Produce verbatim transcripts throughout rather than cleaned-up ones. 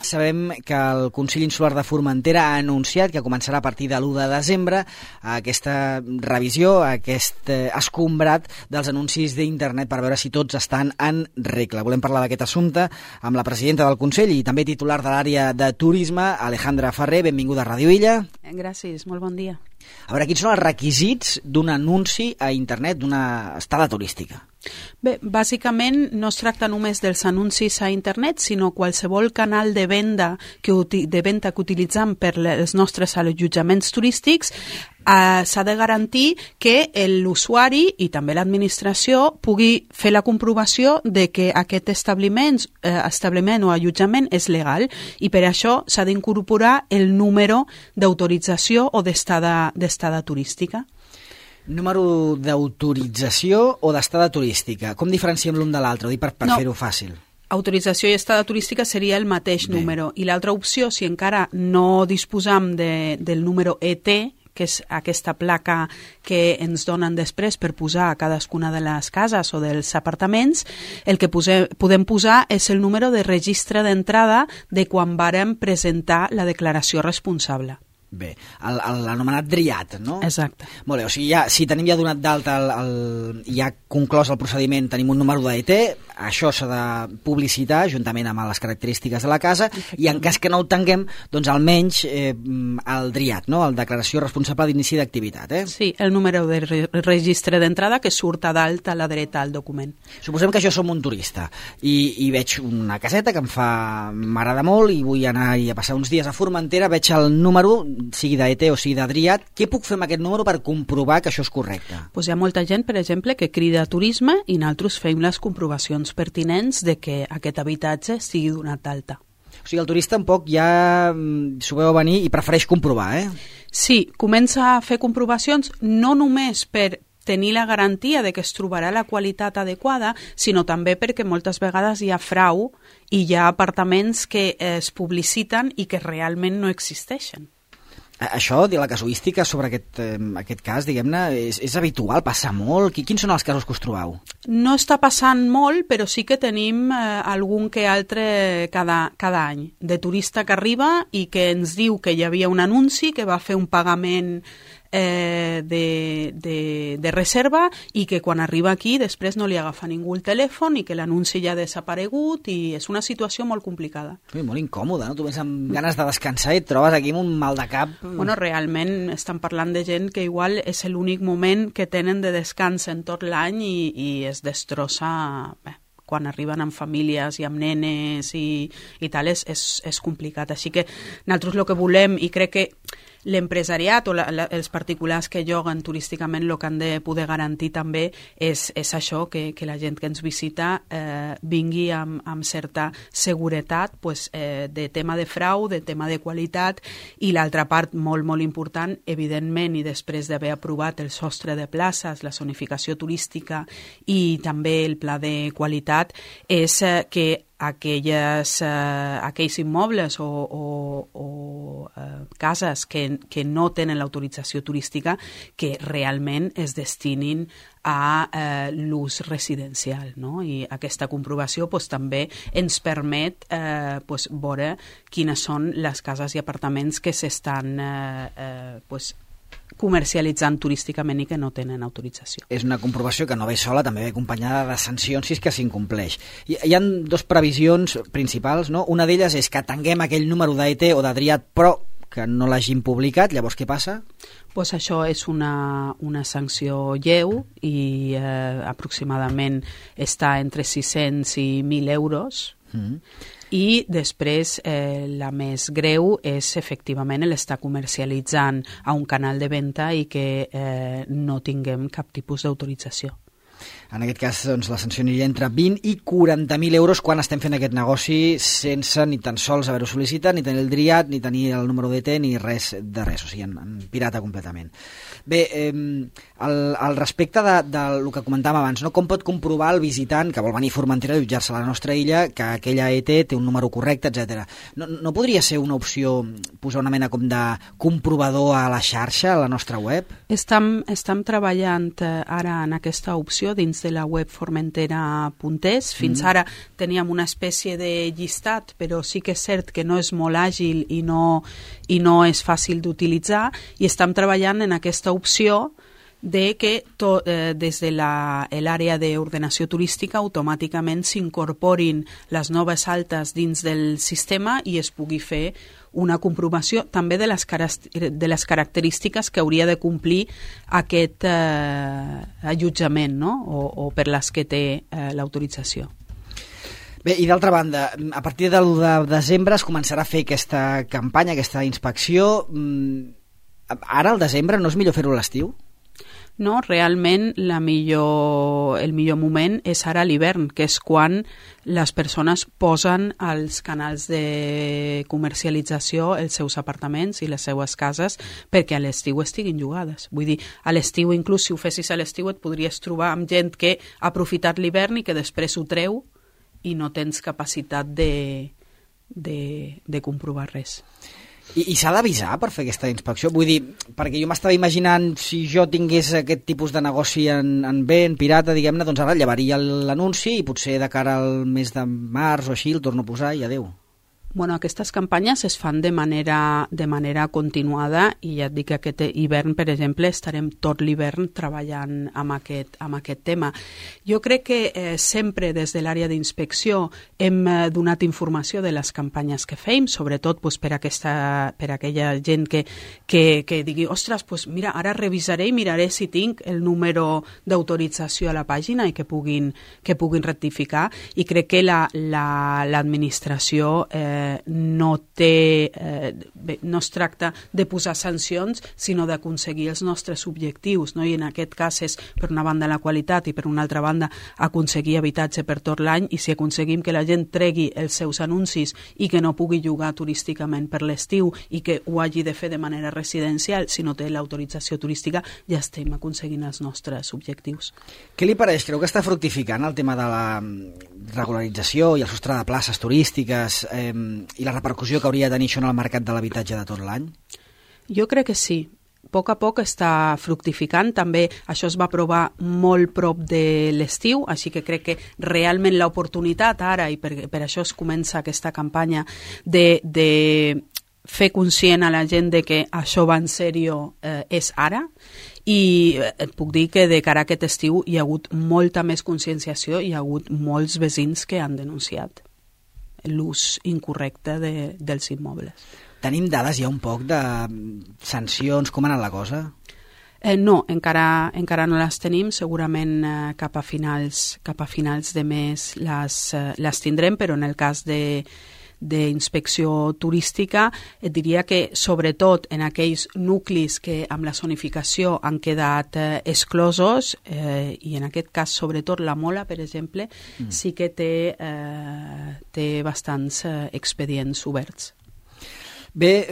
sabem que el Consell Insular de Formentera ha anunciat que començarà a partir de l'u de desembre aquesta revisió, aquest escombrat dels anuncis d'internet per veure si tots estan en regla. Volem parlar d'aquest assumpte amb la presidenta del Consell i també titular de l'àrea de turisme, Alejandra Ferrer. Benvinguda a Ràdio Illa. Gràcies, molt bon dia. A veure, quins són els requisits d'un anunci a internet d'una estada turística? Bé, bàsicament no es tracta només dels anuncis a internet, sinó qualsevol canal de venda que, de venda que utilitzem per els nostres allotjaments turístics. Eh, s'ha de garantir que l'usuari i també l'administració pugui fer la comprovació de que aquest establiment, eh, establiment o allotjament és legal, i per això s'ha d'incorporar el número d'autorització o d'estada d'estada turística. Número d'autorització o d'estada turística? Com diferenciem l'un de l'altre? Ho dic per, per no. fer-ho fàcil. Autorització i estada turística seria el mateix Bé. número. I l'altra opció, si encara no disposam de, del número E T, que és aquesta placa que ens donen després per posar a cadascuna de les cases o dels apartaments, el que posem, podem posar és el número de registre d'entrada de quan vàrem presentar la declaració responsable. Bé, l'anomenat D R I A T, no? Exacte. Molt bé, o sigui, ja, si tenim ja donat d'alta, el, el, ja conclòs el procediment, tenim un número d'E T, això s'ha de publicitar juntament amb les característiques de la casa, i en cas que no ho tinguem, doncs almenys eh, el D R I A T, no? El Declaració Responsable d'Inici d'Activitat, eh? Sí, el número de re registre d'entrada que surt a dalt a la dreta al document. Suposem que jo som un turista i, i veig una caseta que em fa m'agrada molt i vull anar a passar uns dies a Formentera, veig el número, sigui d'E T o sigui de D R I A T, què puc fer amb aquest número per comprovar que això és correcte? Pues hi ha molta gent, per exemple, que crida a turisme i nosaltres fem les comprovacions pertinents de que aquest habitatge sigui donat d'alta. O sigui, el turista tampoc ja s'ho veu venir i prefereix comprovar, eh? Sí, comença a fer comprovacions no només per tenir la garantia de que es trobarà la qualitat adequada, sinó també perquè moltes vegades hi ha frau i hi ha apartaments que es publiciten i que realment no existeixen. Això, la casuística sobre aquest, eh, aquest cas, diguem-ne, és, és habitual, passa molt? Quins són els casos que us trobeu? No està passant molt, però sí que tenim eh, algun que altre cada, cada any, de turista que arriba i que ens diu que hi havia un anunci, que va fer un pagament eh, de, de, de reserva i que quan arriba aquí després no li agafa ningú el telèfon i que l'anunci ja ha desaparegut i és una situació molt complicada. Sí, molt incòmoda, no? Tu vens amb ganes de descansar i et trobes aquí amb un mal de cap. Bueno, realment estan parlant de gent que igual és l'únic moment que tenen de descans en tot l'any i, i es destrossa... Bé, quan arriben amb famílies i amb nenes i, i tal, és, és, és complicat. Així que nosaltres el que volem, i crec que l'empresariat o la, la, els particulars que lloguen turísticament el que han de poder garantir també és, és això, que, que la gent que ens visita eh, vingui amb, amb certa seguretat pues, eh, de tema de frau, de tema de qualitat, i l'altra part molt, molt important, evidentment, i després d'haver aprovat el sostre de places, la zonificació turística i també el pla de qualitat, és eh, que aquelles, eh, aquells immobles o, o, o eh, cases que, que no tenen l'autorització turística que realment es destinin a eh, l'ús residencial, no? I aquesta comprovació pues, també ens permet eh, pues, veure quines són les cases i apartaments que s'estan eh, eh, pues, comercialitzant turísticament i que no tenen autorització. És una comprovació que no ve sola, també ve acompanyada de sancions si és que s'incompleix. Hi, hi ha dues previsions principals, no? Una d'elles és que tinguem aquell número d'E T o de D R I A T, però que no l'hagin publicat, llavors què passa? Pues això és una, una sanció lleu i eh, aproximadament està entre sis-cents i mil euros. Mm. I després eh, la més greu és efectivament l'estar comercialitzant a un canal de venda i que eh, no tinguem cap tipus d'autorització. En aquest cas, doncs, la sanció aniria entre vint i quaranta mil euros quan estem fent aquest negoci sense ni tan sols haver-ho sol·licitat, ni tenir el D R I A T, ni tenir el número d'E T, ni res de res, o sigui, en, en pirata completament. Bé, eh, al, al respecte de, del que comentàvem abans, no? Com pot comprovar el visitant que vol venir a Formentera a allotjar-se a la nostra illa que aquella E T té un número correcte, etcètera. No, no podria ser una opció posar una mena com de comprovador a la xarxa, a la nostra web? Estem, estem treballant eh, ara en aquesta opció dins dins de la web formentera punt es. Fins mm. ara teníem una espècie de llistat, però sí que és cert que no és molt àgil i no, i no és fàcil d'utilitzar, i estem treballant en aquesta opció de que to, eh, des de l'àrea d'ordenació turística automàticament s'incorporin les noves altes dins del sistema i es pugui fer una comprovació també de les, de les característiques que hauria de complir aquest eh, allotjament, no? o, o per les que té eh, l'autorització. Bé, i d'altra banda, a partir de l'u de desembre es començarà a fer aquesta campanya, aquesta inspecció. Ara, al desembre, no és millor fer-ho a l'estiu? No, realment la millor, el millor moment és ara a l'hivern, que és quan les persones posen als canals de comercialització els seus apartaments i les seues cases perquè a l'estiu estiguin llogades. Vull dir, a l'estiu, inclús si ho fessis a l'estiu, et podries trobar amb gent que ha aprofitat l'hivern i que després ho treu i no tens capacitat de, de, de comprovar res. I, i s'ha d'avisar per fer aquesta inspecció? Vull dir, perquè jo m'estava imaginant, si jo tingués aquest tipus de negoci en, en bé, en pirata, diguem-ne, doncs ara llevaria l'anunci i potser de cara al mes de març o així el torno a posar i adeu. Bueno, aquestes campanyes es fan de manera, de manera continuada i ja et dic que aquest hivern, per exemple, estarem tot l'hivern treballant amb aquest, amb aquest tema. Jo crec que eh, sempre des de l'àrea d'inspecció hem eh, donat informació de les campanyes que fem, sobretot pues, per, aquesta, per aquella gent que, que, que digui, ostres, pues, mira, ara revisaré i miraré si tinc el número d'autorització a la pàgina i que puguin, que puguin rectificar, i crec que l'administració la, la, eh, no té, eh, bé, no es tracta de posar sancions, sinó d'aconseguir els nostres objectius, no? I en aquest cas és, per una banda, la qualitat i per una altra banda, aconseguir habitatge per tot l'any, i si aconseguim que la gent tregui els seus anuncis i que no pugui llogar turísticament per l'estiu i que ho hagi de fer de manera residencial, si no té l'autorització turística, ja estem aconseguint els nostres objectius. Què li pareix? Creu que està fructificant el tema de la regularització i el sostre de places turístiques eh, i la repercussió que hauria de tenir això en el mercat de l'habitatge de tot l'any? Jo crec que sí. A poc a poc està fructificant. També això es va aprovar molt prop de l'estiu, així que crec que realment l'oportunitat ara, i per, per això es comença aquesta campanya de, de fer conscient a la gent de que això va en sèrio, eh, és ara. I et puc dir que de cara a aquest estiu hi ha hagut molta més conscienciació, hi ha hagut molts veïns que han denunciat l'ús incorrecte de, dels immobles. Tenim dades ja un poc de sancions, com ha anat la cosa? Eh, no, encara, encara no les tenim, segurament eh, cap, a finals, cap a finals de mes les, eh, les tindrem, però en el cas de d'inspecció turística et diria que sobretot en aquells nuclis que amb la zonificació han quedat eh, exclosos, eh, i en aquest cas sobretot la Mola, per exemple, mm. sí que té, eh, té bastants eh, expedients oberts. Bé,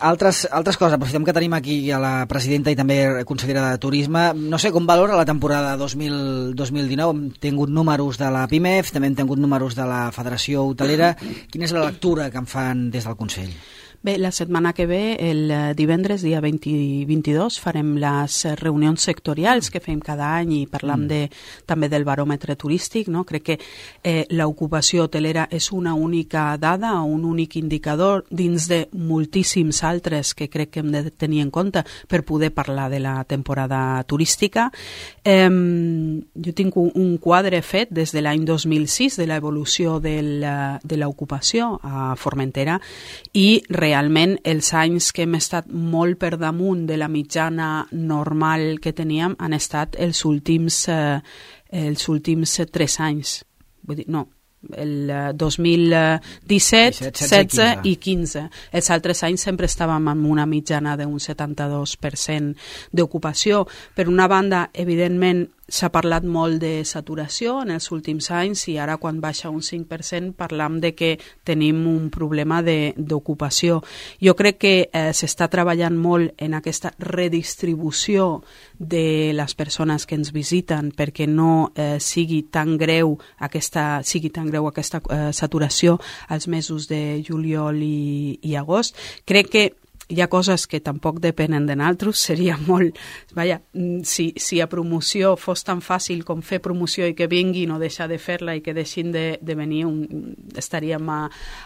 altres, altres coses. Aprofitem que tenim aquí a la presidenta i també consellera de Turisme. No sé com valora la temporada dos mil dinou. Hem tingut números de la PIMEF, també hem tingut números de la Federació Hotelera. Quina és la lectura que en fan des del Consell? Bé, la setmana que ve, el divendres, dia vint i vint-i-dos, farem les reunions sectorials que fem cada any i parlam mm. de, també del baròmetre turístic, no? Crec que eh, l'ocupació hotelera és una única dada, un únic indicador dins de moltíssims altres que crec que hem de tenir en compte per poder parlar de la temporada turística. Eh, jo tinc un, un quadre fet des de l'any dos mil sis de l'evolució del, de l'ocupació a Formentera, i realment realment els anys que hem estat molt per damunt de la mitjana normal que teníem han estat els últims, eh, els últims tres anys. Vull dir, no, el dos mil disset, setze i quinze. Els altres anys sempre estàvem amb una mitjana d'un setanta-dos per cent d'ocupació. Per una banda, evidentment, s'ha parlat molt de saturació en els últims anys, i ara quan baixa un cinc per cent parlam de que tenim un problema d'ocupació. Jo crec que eh, s'està treballant molt en aquesta redistribució de les persones que ens visiten perquè no eh, sigui tan greu aquesta, sigui tan greu aquesta eh, saturació als mesos de juliol i, i agost. Crec que hi ha coses que tampoc depenen de nosaltres, seria molt... Vaja, si, si a promoció fos tan fàcil com fer promoció i que vinguin o deixar de fer-la i que deixin de, de venir, un, estaríem a,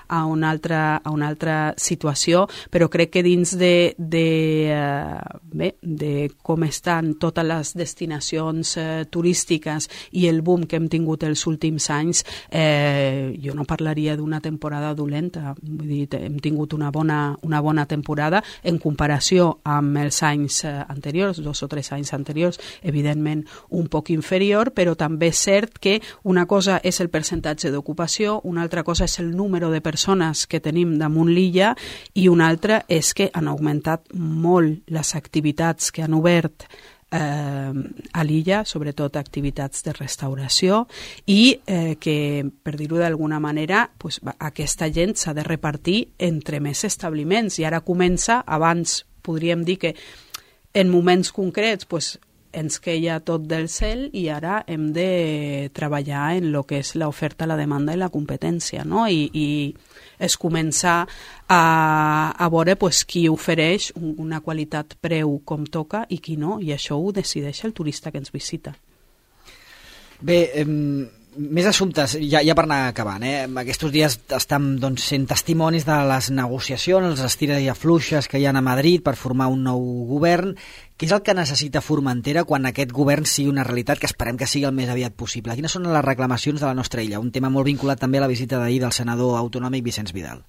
a, una altra, a una altra situació, però crec que dins de, de, uh, bé, de com estan totes les destinacions uh, turístiques i el boom que hem tingut els últims anys, eh, jo no parlaria d'una temporada dolenta. Vull dir, hem tingut una bona, una bona temporada en comparació amb els anys anteriors, dos o tres anys anteriors, evidentment un poc inferior, però també és cert que una cosa és el percentatge d'ocupació, una altra cosa és el número de persones que tenim damunt l'illa i una altra és que han augmentat molt les activitats que han obert Eh, a l'illa, sobretot activitats de restauració i eh, que, per dir-ho d'alguna manera, pues, aquesta gent s'ha de repartir entre més establiments i ara comença, abans podríem dir que en moments concrets pues, ens queia tot del cel i ara hem de treballar en el que és l'oferta, la demanda i la competència, no? I, i és començar a, a veure pues, qui ofereix una qualitat preu com toca i qui no, i això ho decideix el turista que ens visita. Bé, eh, més assumptes, ja, ja per anar acabant, eh? Aquests dies estem doncs, sent testimonis de les negociacions, les estires i afluixes que hi ha a Madrid per formar un nou govern. Què és el que necessita Formentera quan aquest govern sigui una realitat, que esperem que sigui el més aviat possible? Quines són les reclamacions de la nostra illa? Un tema molt vinculat també a la visita d'ahir del senador autonòmic Vicenç Vidal.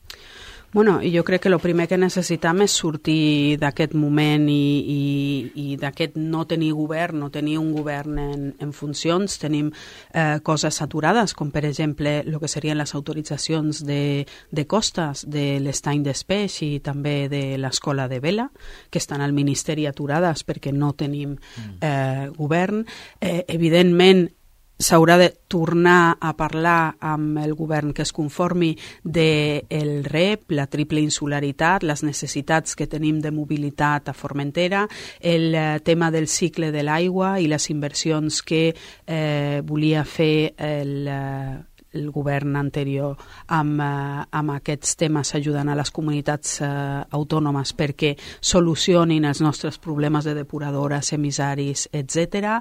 Bueno, jo crec que el primer que necessitam és sortir d'aquest moment i, i, i d'aquest no tenir govern, no tenir un govern en, en funcions. Tenim eh, coses saturades, com per exemple el que serien les autoritzacions de, de costes de l'estany d'Espeix i també de l'escola de vela, que estan al Ministeri aturades perquè no tenim eh, govern. Eh, evidentment, s'haurà de tornar a parlar amb el govern que es conformi del R E P, la triple insularitat, les necessitats que tenim de mobilitat a Formentera, el tema del cicle de l'aigua i les inversions que eh, volia fer el el govern anterior amb, eh, amb aquests temes ajudant a les comunitats eh, autònomes perquè solucionin els nostres problemes de depuradores, emissaris, etcètera.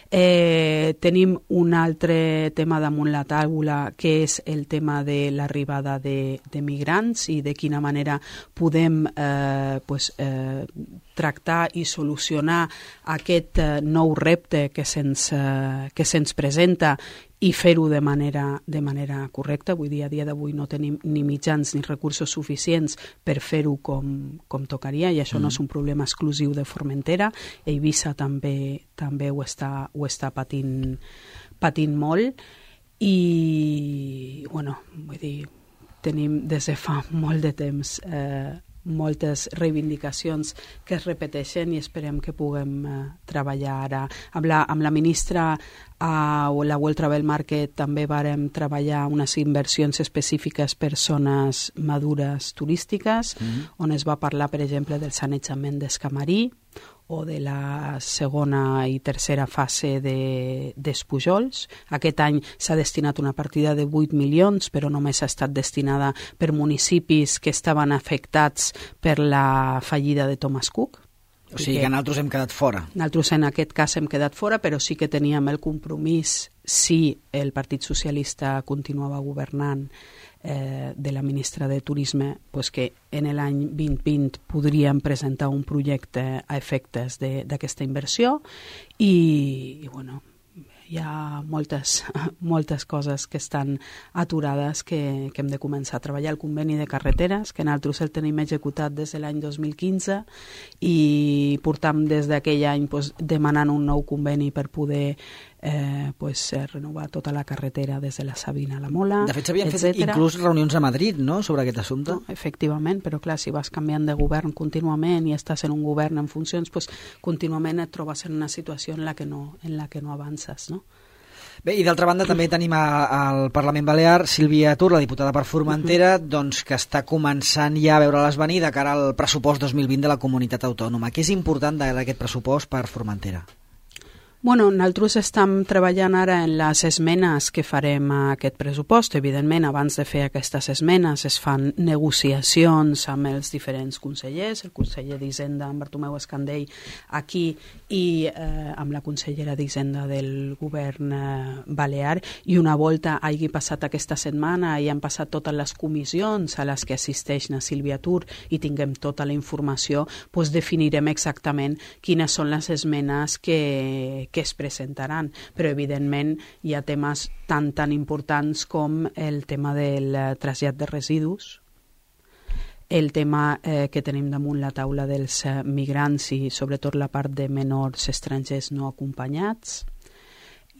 Eh, tenim un altre tema damunt la taula que és el tema de l'arribada de, de migrants i de quina manera podem eh, pues, eh, tractar i solucionar aquest eh, nou repte que se'ns eh, que se'ns presenta i fer-ho de manera, de manera correcta. Vull dir, a dia d'avui no tenim ni mitjans ni recursos suficients per fer-ho com, com tocaria i això mm. no és un problema exclusiu de Formentera. Eivissa també, també ho està, ho està patint, patint molt i, bueno, vull dir, tenim des de fa molt de temps eh, moltes reivindicacions que es repeteixen i esperem que puguem eh, treballar ara. Amb la, amb la ministra a la World Travel Market també vàrem treballar unes inversions específiques per zones madures turístiques, mm-hmm. on es va parlar, per exemple, del sanejament d'Escamarí o de la segona i tercera fase de, d'Espujols. Aquest any s'ha destinat una partida de vuit milions, però només ha estat destinada per municipis que estaven afectats per la fallida de Thomas Cook. O sigui que nosaltres hem quedat fora. Nosaltres en aquest cas hem quedat fora, però sí que teníem el compromís, si el Partit Socialista continuava governant, eh, de la ministra de Turisme, pues que en l'any vint vint podríem presentar un projecte a efectes d'aquesta inversió i, i bueno, hi ha moltes, moltes coses que estan aturades que, que hem de començar a treballar. El conveni de carreteres, que nosaltres el tenim executat des de l'any dos mil quinze i portam des d'aquell any pues, demanant un nou conveni per poder eh, pues, renovar tota la carretera des de la Sabina a la Mola. De fet, s'havien fet inclús reunions a Madrid, no?, sobre aquest assumpte. No, efectivament, però clar, si vas canviant de govern contínuament i estàs en un govern en funcions, pues, contínuament et trobes en una situació en la que no, en la que no avances, no? Bé, i d'altra banda també tenim a, al Parlament Balear Sílvia Tur, la diputada per Formentera, uh-huh. doncs que està començant ja a veure-les venir de cara al pressupost dos mil vint de la comunitat autònoma. Què és important d'aquest pressupost per Formentera? Bueno, nosaltres estem treballant ara en les esmenes que farem a aquest pressupost. Evidentment, abans de fer aquestes esmenes es fan negociacions amb els diferents consellers, el conseller d'Hisenda, en Bartomeu Escandell, aquí, i eh, amb la consellera d'Hisenda del govern eh, balear, i una volta hagi passat aquesta setmana i han passat totes les comissions a les que assisteix na Sílvia Tur i tinguem tota la informació, doncs definirem exactament quines són les esmenes que que es presentaran, però evidentment hi ha temes tan tan importants com el tema del trasllat de residus, el tema eh, que tenim damunt la taula dels eh, migrants i sobretot la part de menors estrangers no acompanyats,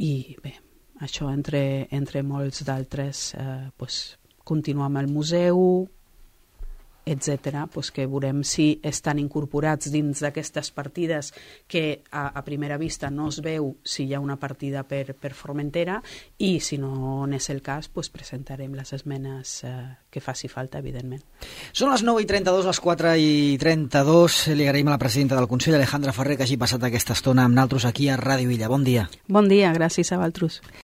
i bé, això entre, entre molts d'altres, eh, pues, continuar amb el museu, etcètera, pues que veurem si estan incorporats dins d'aquestes partides que a, a primera vista no es veu si hi ha una partida per, per Formentera, i si no n'és el cas, pues presentarem les esmenes eh, que faci falta, evidentment. Són les nou i trenta-dos, les quatre i trenta-dos. Li agraïm a la presidenta del Consell, Alejandra Ferrer, que hagi passat aquesta estona amb nosaltres aquí a Ràdio Illa. Bon dia. Bon dia, gràcies a vosaltres.